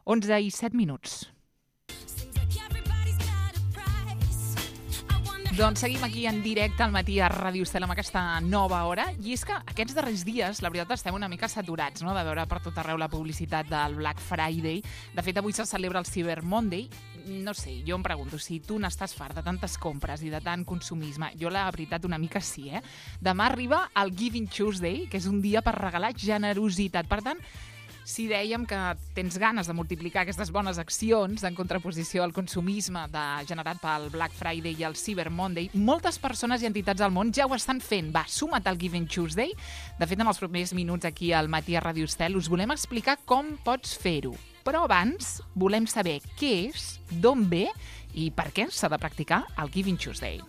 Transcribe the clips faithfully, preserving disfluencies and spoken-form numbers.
onze i set minuts. Doncs seguim aquí en directe al matí a Ràdio Estel amb aquesta nova hora. I és que aquests darrers dies, la veritat, estem una mica saturats, no?, de veure per tot arreu la publicitat del Black Friday. De fet, avui se celebra el Cyber Monday. No sé, jo em pregunto, si tu n'estàs fart de tantes compres i de tant consumisme, jo la veritat una mica sí, eh? Demà arriba el Giving Tuesday, que és un dia per regalar generositat. Per tant, si dèiem que tens ganes de multiplicar aquestes bones accions en contraposició al consumisme de, generat pel Black Friday i el Cyber Monday, moltes persones i entitats del món ja ho estan fent. Va, suma't al Giving Tuesday. De fet, en els propers minuts aquí al matí a Ràdio Estel us volem explicar com pots fer-ho. Però abans volem saber què és, d'on ve i per què s'ha de practicar el Giving Tuesday.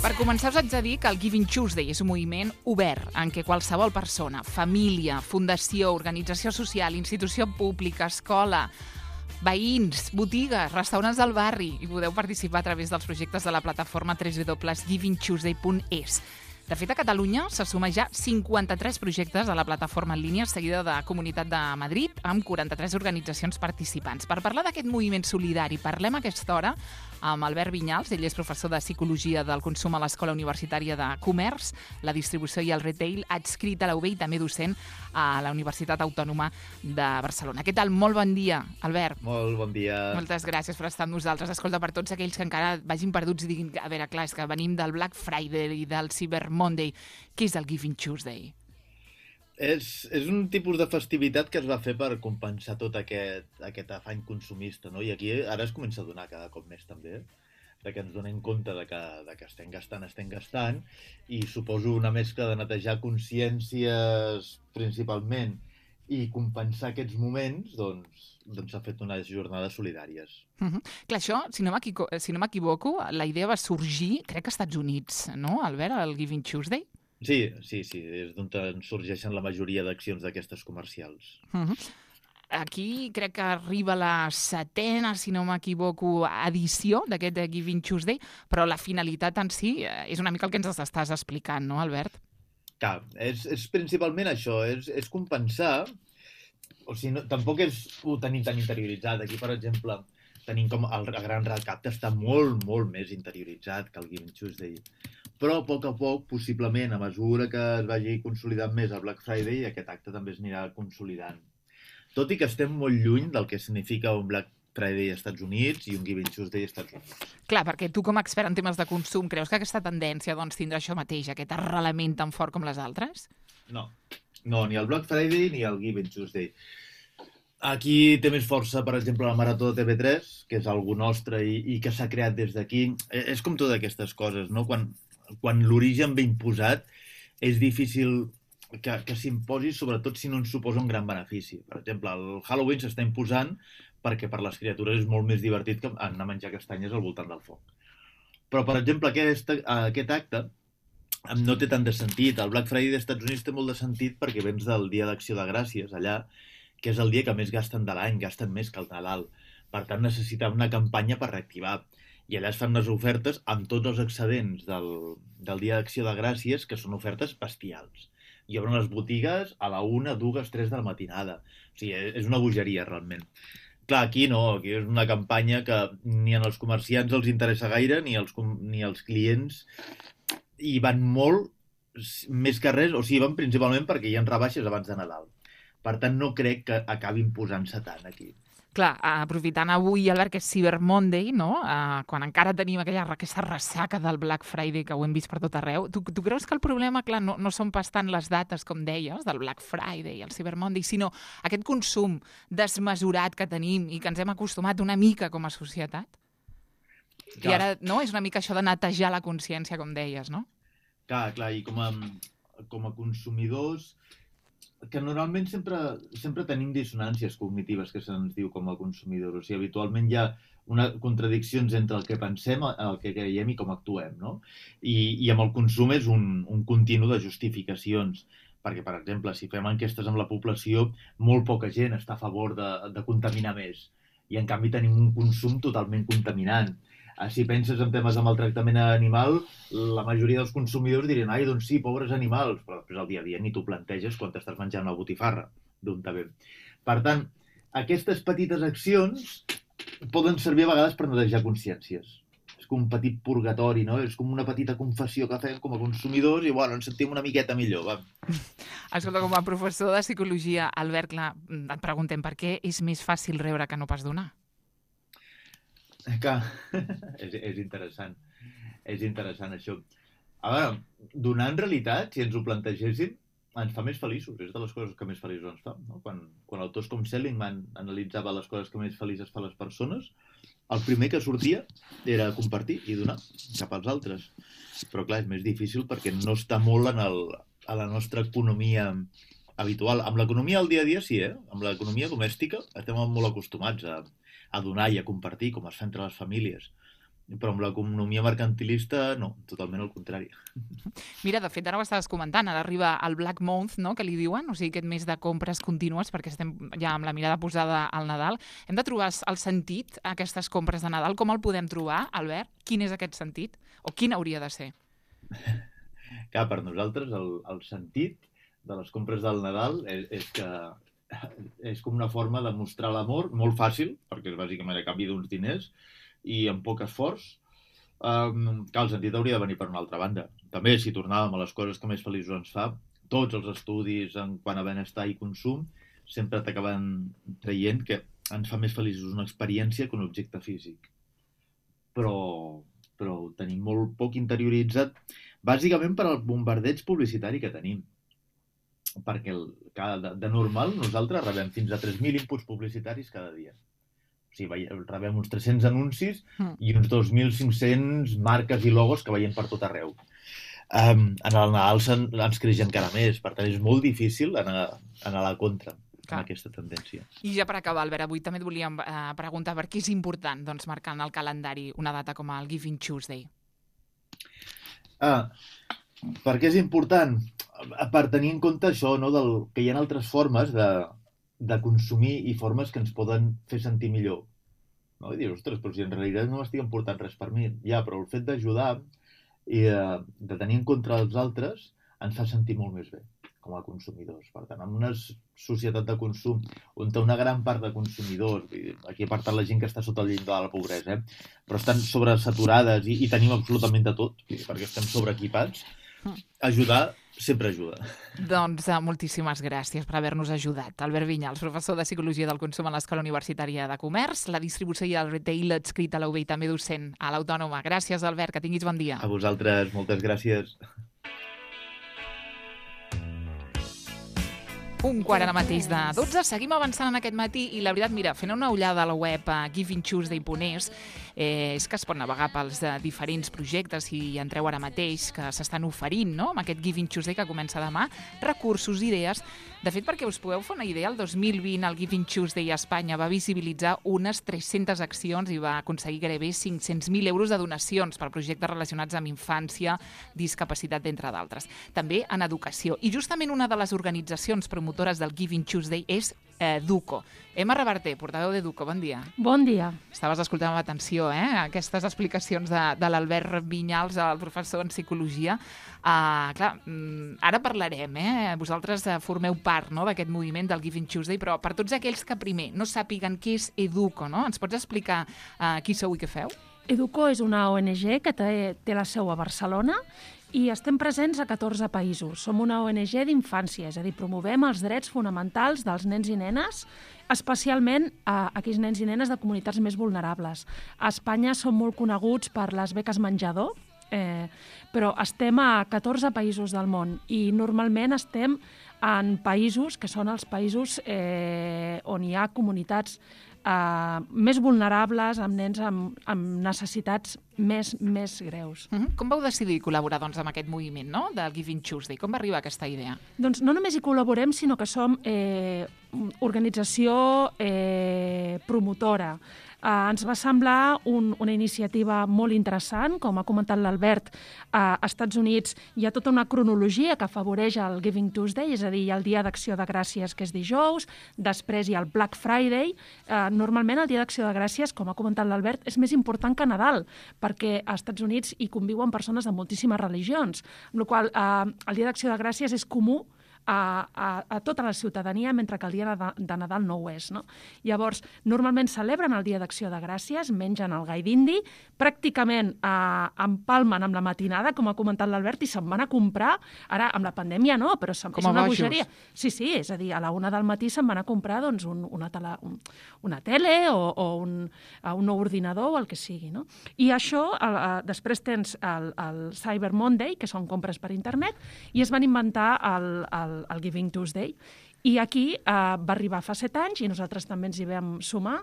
Per començar, us haig de dir que el Giving Tuesday és un moviment obert en què qualsevol persona, família, fundació, organització social, institució pública, escola, veïns, botigues, restaurants del barri, i podeu participar a través dels projectes de la plataforma w w w punt giving tuesday punt es. De fet, a Catalunya se suma ja cinquanta-tres projectes a la plataforma en línia seguida de Comunitat de Madrid, amb quaranta-tres organitzacions participants. Per parlar d'aquest moviment solidari, parlem a aquesta hora amb Albert Vinyals. Ell és professor de Psicologia del Consum a l'Escola Universitària de Comerç, la Distribució i el Retail, adscrit a la U B i també docent a la Universitat Autònoma de Barcelona. Què tal? Molt bon dia, Albert. Molt bon dia. Moltes gràcies per estar amb nosaltres. Escolta, per tots aquells que encara vagin perduts i diguin, a veure, clar, és que venim del Black Friday i del Cyber Monday. Què és el Giving Tuesday? És, és un tipus de festivitat que es va fer per compensar tot aquest, aquest afany consumista, no? I aquí ara es comença a donar cada cop més també, de que ens donem compte de que, de que estem gastant, estem gastant, i suposo una mescla de netejar consciències principalment i compensar aquests moments, doncs doncs s'ha fet unes jornades solidàries. Uh-huh. Clar, això, si no m'equivoco, si no m'equivoco, la idea va sorgir, crec que als Estats Units, no, Albert, el Giving Tuesday? Sí, sí, sí, és d'on sorgeixen la majoria d'accions d'aquestes comercials. Uh-huh. Aquí crec que arriba la setena, si no m'equivoco, edició d'aquest Giving Tuesday, però la finalitat en si és una mica el que ens estàs explicant, no, Albert? Clar, és, és principalment això, és, és compensar. O sigui, no, tampoc és ho tenim tan interioritzat. Aquí, per exemple, tenim com el Gran Recapte està molt, molt més interioritzat que el Giving Tuesday. Però, a poc a poc, possiblement, a mesura que es vagi consolidant més el Black Friday, aquest acte també es anirà consolidant. Tot i que estem molt lluny del que significa un Black Friday als Estats Units i un Giving Tuesday als Estats Units. Clar, perquè tu com a expert en temes de consum, creus que aquesta tendència doncs, tindrà això mateix, aquest arrelament tan fort com les altres? No. No, ni el Black Friday ni el Giving Tuesday. Aquí té més força, per exemple, la Marató de T V tres, que és algú nostre i, i que s'ha creat des d'aquí. És com totes aquestes coses, no? Quan, quan l'origen ve imposat, és difícil que, que s'imposi, sobretot si no ens suposa un gran benefici. Per exemple, el Halloween s'està imposant perquè per les criatures és molt més divertit que anar a menjar castanyes al voltant del foc. Però, per exemple, aquest, aquest acte no té tant de sentit. El Black Friday dels Estats Units té molt de sentit perquè vens del Dia d'Acció de Gràcies, allà, que és el dia que més gasten de l'any, gasten més que el Nadal. Per tant, necessita una campanya per reactivar. I allà es fan les ofertes amb tots els excedents del, del Dia d'Acció de Gràcies, que són ofertes bestials. I obren les botigues a la una, dues, tres de la matinada. O sigui, és una bogeria, realment. Clar, aquí no, aquí és una campanya que ni en els comerciants els interessa gaire, ni els, ni els clients, i van molt, més que res, o sigui, van principalment perquè hi ha rebaixes abans de Nadal. Per tant, no crec que acabi imposant-se tant aquí. Clar, aprofitant avui, Albert, que és Cyber Monday, no? Uh, quan encara tenim aquella, aquesta ressaca del Black Friday que ho hem vist per tot arreu, tu, tu creus que el problema, clar, no, no són pas tant les dates, com deies, del Black Friday i el Cyber Monday, sinó aquest consum desmesurat que tenim i que ens hem acostumat una mica com a societat? Clar. I ara, no? És una mica això de netejar la consciència, com deies, no? Clar, clar, i com a, com a consumidors, que normalment sempre, sempre tenim dissonàncies cognitives, que se'ns diu com a consumidors. O sigui, habitualment hi ha una contradiccions entre el que pensem, el que creiem i com actuem, no? I, i amb el consum és un, un continu de justificacions. Perquè, per exemple, si fem enquestes amb la població, molt poca gent està a favor de, de contaminar més. I, en canvi, tenim un consum totalment contaminant. Si penses en temes de maltractament animal, la majoria dels consumidors dirien ai, doncs sí, pobres animals, però després al dia a dia ni t'ho planteges quan t'estàs menjant una botifarra. d'un tabé. Per tant, aquestes petites accions poden servir a vegades per netejar consciències. És com un petit purgatori, no? És com una petita confessió que fem com a consumidors i, bueno, ens sentim una miqueta millor, va. Escolta, com a professor de psicologia, Albert, clar, et preguntem per què és més fàcil rebre que no pas donar? Que és, és interessant. És interessant, això. A veure, donar en realitat, si ens ho plantegéssim, ens fa més feliços. És de les coses que més feliços ens fa. No? Quan, quan autors com Seligman analitzava les coses que més felices fa les persones, el primer que sortia era compartir i donar cap als altres. Però, clar, és més difícil perquè no està molt en el, a la nostra economia habitual. Amb l'economia del dia a dia sí, eh? Amb l'economia domèstica estem molt acostumats a, a donar i a compartir, com es fa entre les famílies. Però amb l'economia mercantilista, no, totalment al contrari. Mira, de fet, ara ho estaves comentant, ara arriba el Black Month, no?, que li diuen, o sigui, aquest mes de compres contínues, perquè estem ja amb la mirada posada al Nadal. Hem de trobar el sentit a aquestes compres de Nadal. Com el podem trobar, Albert? Quin és aquest sentit? O quin hauria de ser? Clar, per nosaltres el, el sentit de les compres del Nadal és, és que és com una forma de mostrar l'amor, molt fàcil, perquè és bàsicament a canvi d'uns diners, i amb poc esforç, um, que el sentit hauria de venir per una altra banda. També, si tornàvem a les coses que més feliços ens fa, tots els estudis en quant a benestar i consum sempre t'acaben traient que ens fa més feliços una experiència que un objecte físic. Però, però ho tenim molt poc interioritzat, bàsicament per al bombardeig publicitari que tenim. Perquè el, de, de normal nosaltres rebem fins a tres mil inputs publicitaris cada dia. O sigui, rebem uns tres-cents anuncis i uns dos mil cinc-cents marques i logos que veiem per tot arreu. Um, en el Nadal ens creix encara més, per tant és molt difícil anar, anar a la contra amb aquesta tendència. I ja per acabar, Albert, avui també et volíem eh, preguntar per què és important doncs, marcar en el calendari una data com el Giving Tuesday. Ah, per què és important? Per tenir en compte això, no, del, que hi ha altres formes de de consumir i formes que ens poden fer sentir millor. No? I dir, ostres, però si en realitat no m'estic important res per mi. Ja, però el fet d'ajudar i de, de tenir en compte els altres ens fa sentir molt més bé com a consumidors. Per tant, en una societat de consum on una gran part de consumidors, aquí he parlat la gent que està sota el llindar de la pobresa, eh? Però estan sobresaturades i, i tenim absolutament de tot, perquè estem sobreequipats, ajudar sempre ajuda. Doncs uh, moltíssimes gràcies per haver-nos ajudat. Albert Vinyals, professor de Psicologia del Consum a l'Escola Universitària de Comerç, la distribució i el retail adscrit a la U B i també docent a l'Autònoma. Gràcies, Albert, que tinguis bon dia. A vosaltres, moltes gràcies. Un quart ara mateix de dotze. Seguim avançant en aquest matí i la veritat, mira, fent una ullada a la web a giving tuesday punt es, eh, és que es pot navegar pels eh, diferents projectes si hi entreu ara mateix que s'estan oferint, no?, amb aquest Giving Tuesday que comença demà, recursos, idees. De fet, perquè us podeu fer una idea, el dos mil vint el Giving Tuesday a Espanya va visibilitzar unes tres-centes accions i va aconseguir gairebé cinc-cents mil euros de donacions per projectes relacionats amb infància, discapacitat, entre d'altres. També en educació. I justament una de les organitzacions promotores del Giving Tuesday és eh, Duco. Emma Reverter, portaveu de Duco, bon dia. Bon dia. Estaves escoltant amb atenció, eh?, aquestes explicacions de, de l'Albert Vinyals, el professor en psicologia. Uh, clar, ara parlarem, eh? Vosaltres uh, formeu part, no?, d'aquest moviment del Giving Tuesday, però per tots aquells que primer no sàpiguen què és Educo, no?, ens pots explicar uh, qui sou i què feu? Educo és una O N G que té, té la seu a Barcelona i estem presents a catorze països. Som una O N G d'infància, és a dir, promovem els drets fonamentals dels nens i nenes, especialment a aquells nens i nenes de comunitats més vulnerables. A Espanya som molt coneguts per les beques menjador, eh, però estem a catorze països del món i normalment estem en països que són els països eh, on hi ha comunitats eh, més vulnerables, amb nens amb, amb necessitats més, més greus. Mm-hmm. Com vau decidir col·laborar doncs, amb aquest moviment, no?, del Giving Tuesday? Com va arribar aquesta idea? Doncs no només hi col·laborem, sinó que som eh, organització eh, promotora. Uh, ens va semblar un, una iniciativa molt interessant. Com ha comentat l'Albert, uh, als Estats Units hi ha tota una cronologia que afavoreix el Giving Tuesday, és a dir, hi ha el Dia d'Acció de Gràcies, que és dijous, després hi ha el Black Friday. Uh, normalment el Dia d'Acció de Gràcies, com ha comentat l'Albert, és més important que Nadal, perquè als Estats Units hi conviuen persones de moltíssimes religions, amb la qual cosa uh, el Dia d'Acció de Gràcies és comú a, a, a tota la ciutadania, mentre que el dia de, de Nadal no ho és. No? Llavors, normalment celebren el Dia d'Acció de Gràcies, mengen el gai d'indi, pràcticament eh, empalmen amb la matinada, com ha comentat l'Albert, i se'n van a comprar, ara amb la pandèmia no, però és una bogeria. Sí, sí, és a dir, a la una del matí se'n van a comprar doncs, un, una, tele, un, una tele o, o un, un nou ordinador o el que sigui. No? I això, el, el, després tens el, el Cyber Monday, que són compres per internet, i es van inventar el, el, el Giving Tuesday. I aquí eh, va arribar fa set anys i nosaltres també ens hi vam sumar.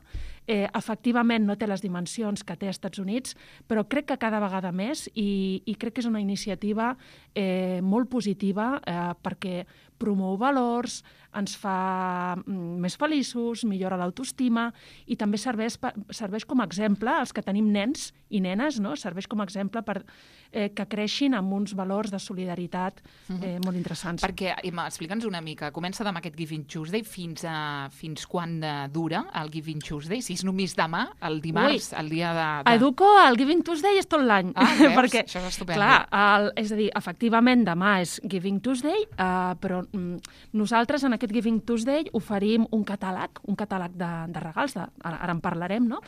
Eh, efectivament no té les dimensions que té als Estats Units, però crec que cada vegada més i, i crec que és una iniciativa eh, molt positiva eh, perquè promou valors, ens fa mm, més feliços, millora l'autoestima i també serveix, per, serveix com a exemple als que tenim nens i nenes, no? Serveix com a exemple per eh, que creixin amb uns valors de solidaritat eh, molt interessants. Perquè, Emma, explica'ns una mica, comença demà aquest Giving Tuesday, fins, a, fins quan dura el Giving Tuesday? Si és només demà, el dimarts, Ui, el dia de... de... A Educo el Giving Tuesday és tot l'any. Ah, veus? Perquè, això és estupendo. Clar, el, és a dir, efectivament demà és Giving Tuesday, eh, però mm, nosaltres en aquest Giving Tuesday oferim un catàleg, un catàleg de, de regals, de, ara, ara en parlarem, no?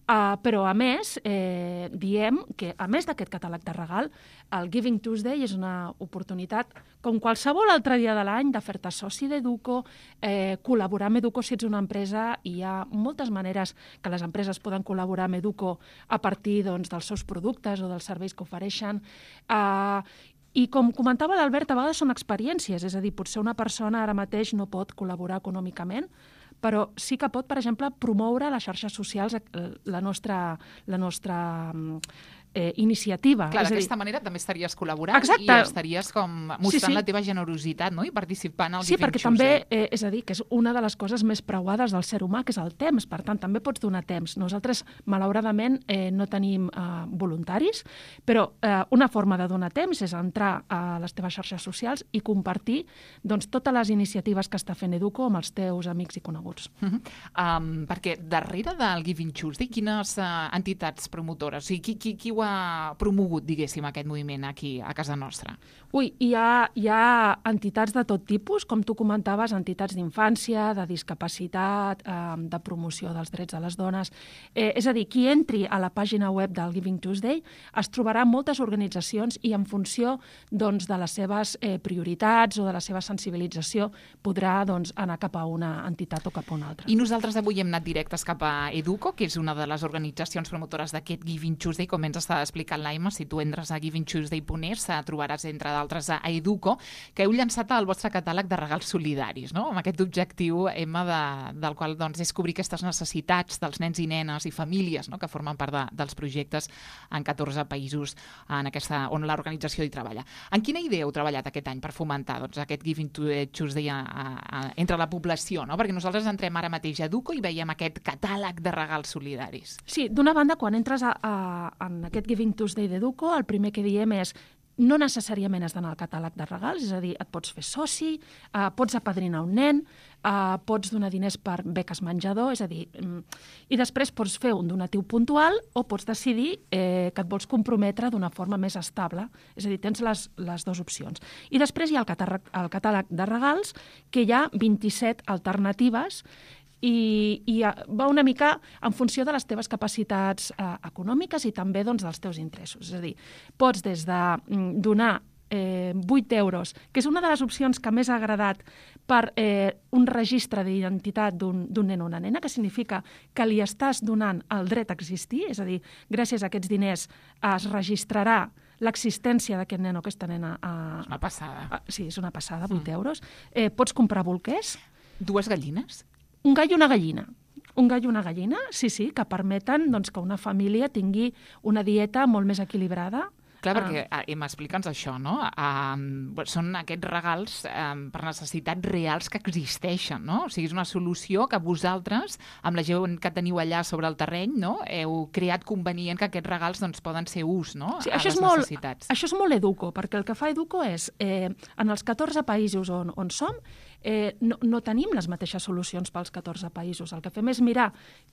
Uh, però a més, eh, diem que a més d'aquest catàleg de regal, el Giving Tuesday és una oportunitat, com qualsevol altre dia de l'any, de fer-te soci d'Educo, eh, col·laborar amb Educo si ets una empresa, i hi ha moltes maneres que les empreses poden col·laborar amb Educo a partir doncs, dels seus productes o dels serveis que ofereixen. Uh, I com comentava l'Albert, a vegades són experiències, és a dir, potser una persona ara mateix no pot col·laborar econòmicament, però sí que pot, per exemple, promoure a les xarxes socials la nostra, la nostra eh, iniciativa. Clar, d'aquesta manera també estaries col·laborant. Exacte. I estaries com mostrant sí, sí. la teva generositat, no? I participant al sí, Giving perquè Tuesday. també, eh, és a dir, que és una de les coses més preuades del ser humà, que és el temps. Per tant, també pots donar temps. Nosaltres, malauradament, eh, no tenim eh, voluntaris, però eh, una forma de donar temps és entrar a les teves xarxes socials i compartir doncs, totes les iniciatives que està fent Educo amb els teus amics i coneguts. Uh -huh. um, perquè darrere del Giving Tuesday, quines uh, entitats promotores? O sigui, qui, qui, qui ho ha promogut, diguéssim, aquest moviment aquí a casa nostra? Ui, hi ha, hi ha entitats de tot tipus, com tu comentaves, entitats d'infància, de discapacitat, eh, de promoció dels drets de les dones. Eh, és a dir, qui entri a la pàgina web del Giving Tuesday es trobarà moltes organitzacions i en funció doncs, de les seves eh, prioritats o de la seva sensibilització podrà doncs, anar cap a una entitat o cap a una altra. I nosaltres avui hem anat directes cap a Educo, que és una de les organitzacions promotores d'aquest Giving Tuesday, com ens està explicant l'Aima. Si tu entres a giving tuesday punt es trobaràs, entre d'altres, a Educo, que heu llançat el vostre catàleg de regals solidaris, no? Amb aquest objectiu, Emma, de, del qual doncs, és cobrir aquestes necessitats dels nens i nenes i famílies, no? Que formen part de, dels projectes en catorze països en aquesta, on l'organització hi treballa. En quina idea heu treballat aquest any per fomentar doncs, aquest Giving Tuesday a, a, a, entre la població? No? Perquè nosaltres entrem ara mateix a Educo i veiem aquest catàleg de regals solidaris. Sí, d'una banda, quan entres a, a, en aquest Giving Tuesday d'Educo, el primer que diem és no necessàriament has d'anar al catàleg de regals, és a dir, et pots fer soci, eh, pots apadrinar un nen, eh, pots donar diners per beques menjador, és a dir, mm, i després pots fer un donatiu puntual o pots decidir eh, que et vols comprometre d'una forma més estable, és a dir, tens les, les dues opcions. I després hi ha el catàleg, el catàleg de regals, que hi ha vint-i-set alternatives i, i va una mica en funció de les teves capacitats eh, econòmiques i també doncs, dels teus interessos. És a dir, pots des de mm, donar eh, vuit euros, que és una de les opcions que més ha agradat per eh, un registre d'identitat d'un nen o una nena, que significa que li estàs donant el dret a existir, és a dir, gràcies a aquests diners es registrarà l'existència d'aquest nen o aquesta nena. A, és una passada. A, sí, és una passada, vuit mm. euros. Eh, pots comprar bolquers. Dues gallines? Un gall i una gallina. Un gall i una gallina, sí, sí, que permeten doncs, que una família tingui una dieta molt més equilibrada. Clar, perquè, ah. m'explica'ns això, no? Uh, són aquests regals uh, per necessitats reals que existeixen, no? O sigui, és una solució que vosaltres, amb la gent que teniu allà sobre el terreny, no? Heu creat convenient que aquests regals doncs, poden ser ús, no? Sí, a això les és molt, necessitats. Això és molt Educo, perquè el que fa Educo és, eh, en els catorze països on, on som, eh, no, no tenim les mateixes solucions pels catorze països. El que fem és mirar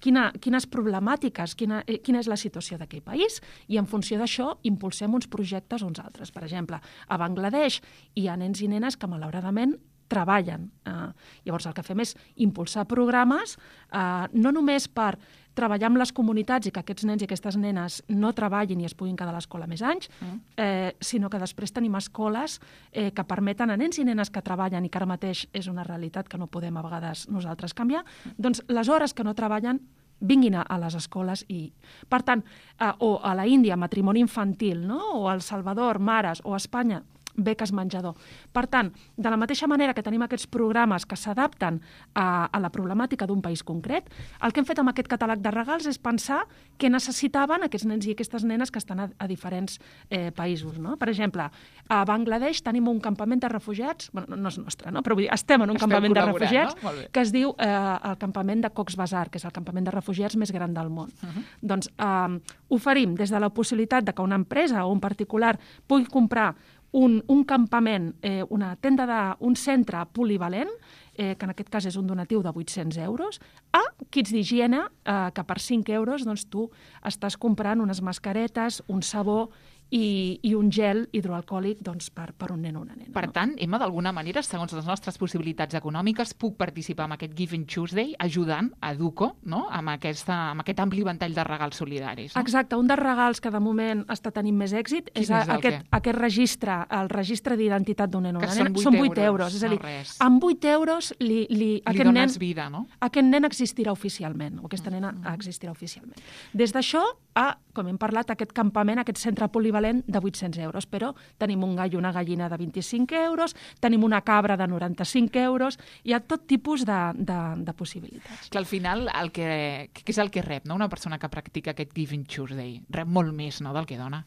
quina, quines problemàtiques, quina, eh, quina és la situació d'aquell país, i en funció d'això impulsem uns projectes o uns altres. Per exemple, a Bangladesh hi ha nens i nenes que malauradament treballen. Eh, llavors, el que fem és impulsar programes, eh, no només per treballar amb les comunitats i que aquests nens i aquestes nenes no treballin i es puguin quedar a l'escola més anys, mm. eh, sinó que després tenim escoles eh, que permeten a nens i nenes que treballen i que ara mateix és una realitat que no podem a vegades nosaltres canviar, mm. doncs les hores que no treballen vinguin a, a les escoles i, per tant, eh, o a la Índia, matrimoni infantil, no? O a El Salvador, mares, o a Espanya, beques menjador. Per tant, de la mateixa manera que tenim aquests programes que s'adapten a, a la problemàtica d'un país concret, el que hem fet amb aquest catàleg de regals és pensar què necessitaven aquests nens i aquestes nenes que estan a, a diferents eh, països. No? Per exemple, a Bangladesh tenim un campament de refugiats, bueno, no és nostre, no? Però vull dir, estem en un Esteu campament de refugiats, no? que es diu eh, el campament de Cox's Bazar, que és el campament de refugiats més gran del món. Uh -huh. Doncs eh, oferim des de la possibilitat de que una empresa o un particular pugui comprar Un, un campament, eh, una tenda de, un centre polivalent, eh, que en aquest cas és un donatiu de vuit-cents euros, a kits d'higiene, eh, que per cinc euros doncs, tu estàs comprant unes mascaretes, un sabó i, i un gel hidroalcohòlic doncs, per, per un nen o una nena. Per no? tant, Emma, d'alguna manera, segons les nostres possibilitats econòmiques, puc participar en aquest Giving Tuesday ajudant a Educo, no? amb, aquesta, amb aquest ampli ventall de regals solidaris. No? Exacte, un dels regals que de moment està tenint més èxit és, és aquest, aquest registre, el registre d'identitat d'un nen o una que nena. Són vuit euros. És a dir, no res. amb vuit euros li, li, li aquest dones nen, vida, no? Aquest nen existirà oficialment, o aquesta nena mm. existirà oficialment. Des d'això a, com hem parlat, aquest campament, aquest centre polivalent de vuit-cents euros, però tenim un gall i una gallina de vint-i-cinc euros, tenim una cabra de noranta-cinc euros, hi ha tot tipus de, de, de possibilitats. Que al final, el que, què és el que rep, no? Una persona que practica aquest Giving Tuesday? Rep molt més, no?, del que dona.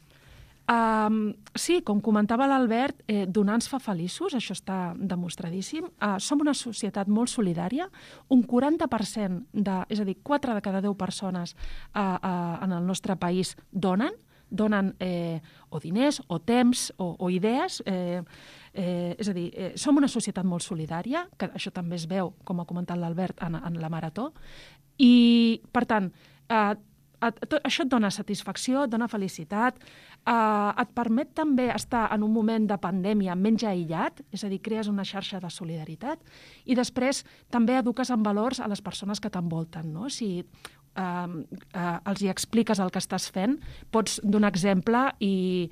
Um, sí, com comentava l'Albert, eh, donar ens fa feliços, això està demostradíssim. Uh, som una societat molt solidària, un quaranta per cent, de, és a dir, quatre de cada deu persones uh, uh, en el nostre país donen, donen eh, o diners, o temps, o, o idees. Eh, eh, és a dir, eh, som una societat molt solidària, que això també es veu, com ha comentat l'Albert, en, en la Marató. I, per tant, eh, et, això et dona satisfacció, et dona felicitat, eh, et permet també estar en un moment de pandèmia menys aïllat, és a dir, crees una xarxa de solidaritat, i després també eduques en valors a les persones que t'envolten, no? Si Uh, uh, els hi expliques el que estàs fent, pots donar exemple i,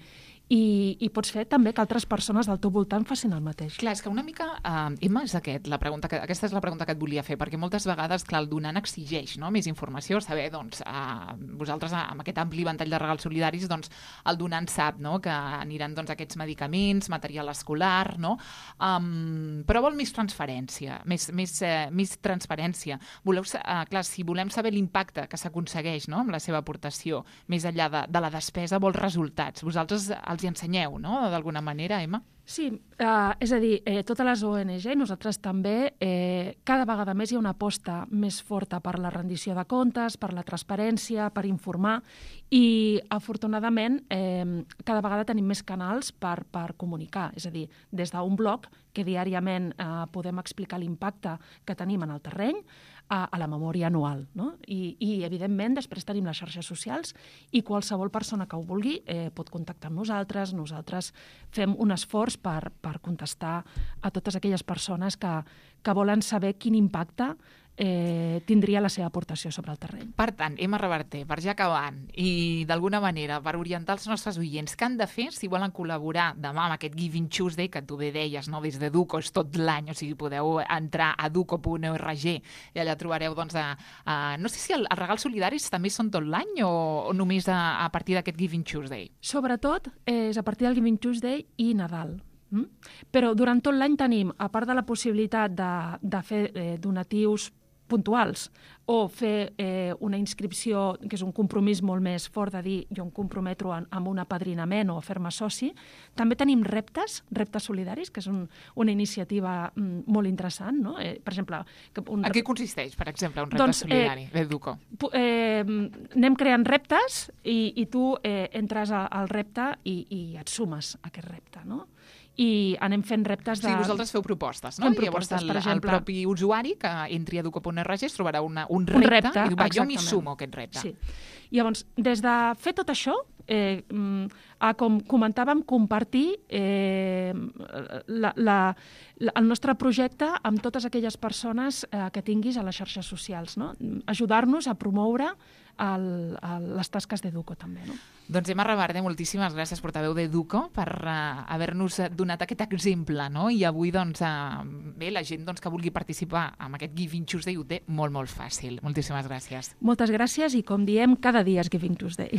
i, i pots fer també que altres persones del teu voltant facin el mateix. Clar, és que una mica, uh, Emma, és aquest, la pregunta que, aquesta és la pregunta que et volia fer, perquè moltes vegades, clar, el donant exigeix, no?, més informació, saber, doncs, uh, vosaltres amb aquest ampli ventall de regals solidaris, doncs, el donant sap, no?, que aniran, doncs, aquests medicaments, material escolar, no?, um, però vol més transferència, més, més, uh, més transparència. Voleu, uh, clar, si volem saber l'impacte que s'aconsegueix, no?, amb la seva aportació, més enllà de, de la despesa, vol resultats. Vosaltres els hi ensenyeu, no?, d'alguna manera, Emma? Sí, eh, és a dir, eh, totes les O N G, nosaltres també, eh, cada vegada més hi ha una aposta més forta per la rendició de comptes, per la transparència, per informar, i afortunadament eh, cada vegada tenim més canals per, per comunicar, és a dir, des d'un blog que diàriament eh, podem explicar l'impacte que tenim en el terreny, a, a la memòria anual, no? I, i evidentment després tenim les xarxes socials i qualsevol persona que ho vulgui eh, pot contactar amb nosaltres, nosaltres fem un esforç per, per contestar a totes aquelles persones que, que volen saber quin impacte eh, tindria la seva aportació sobre el terreny. Per tant, Emma Reverter, per ja acabant, i d'alguna manera per orientar els nostres oients, què han de fer si volen col·laborar demà amb aquest Giving Tuesday, que tu bé deies, no?, des d'Educo és tot l'any, o sigui, podeu entrar a educo punt org i allà trobareu, doncs, a, a, no sé si el, els regals solidaris també són tot l'any o, o només a, a partir d'aquest Giving Tuesday? Sobretot eh, és a partir del Giving Tuesday i Nadal. Mm? Però durant tot l'any tenim, a part de la possibilitat de, de fer eh, donatius puntuals o fer eh, una inscripció, que és un compromís molt més fort de dir jo em comprometo en, amb un apadrinament o a fer-me soci, també tenim reptes, reptes solidaris, que és un, una iniciativa mm, molt interessant, no? Eh, per exemple... Que un... A què consisteix, per exemple, un repte doncs, solidari eh, d'Educo? Eh, anem creant reptes i, i tu eh, entres a, al repte i, i et sumes a aquest repte, no? I anem fent reptes de... Sí, vosaltres feu propostes, no? Fem I llavors propostes, el, per exemple... el propi usuari que entri a educo punt org es trobarà una, un repte, un repte i diu, va, jo m'hi exactament. sumo a aquest repte. Sí. Llavors, des de fer tot això, eh, a, com comentàvem, compartir eh, la, la, la, el nostre projecte amb totes aquelles persones eh, que tinguis a les xarxes socials, no? Ajudar-nos a promoure el, el, les tasques d'Educo també, no? Doncs Emma Reverde, moltíssimes gràcies, portaveu d'Educo, per uh, haver-nos donat aquest exemple, no? I avui, doncs, uh, bé, la gent doncs, que vulgui participar en aquest Giving Tuesday ho té molt, molt fàcil. Moltíssimes gràcies. Moltes gràcies i, com diem, cada dia és Giving Tuesday.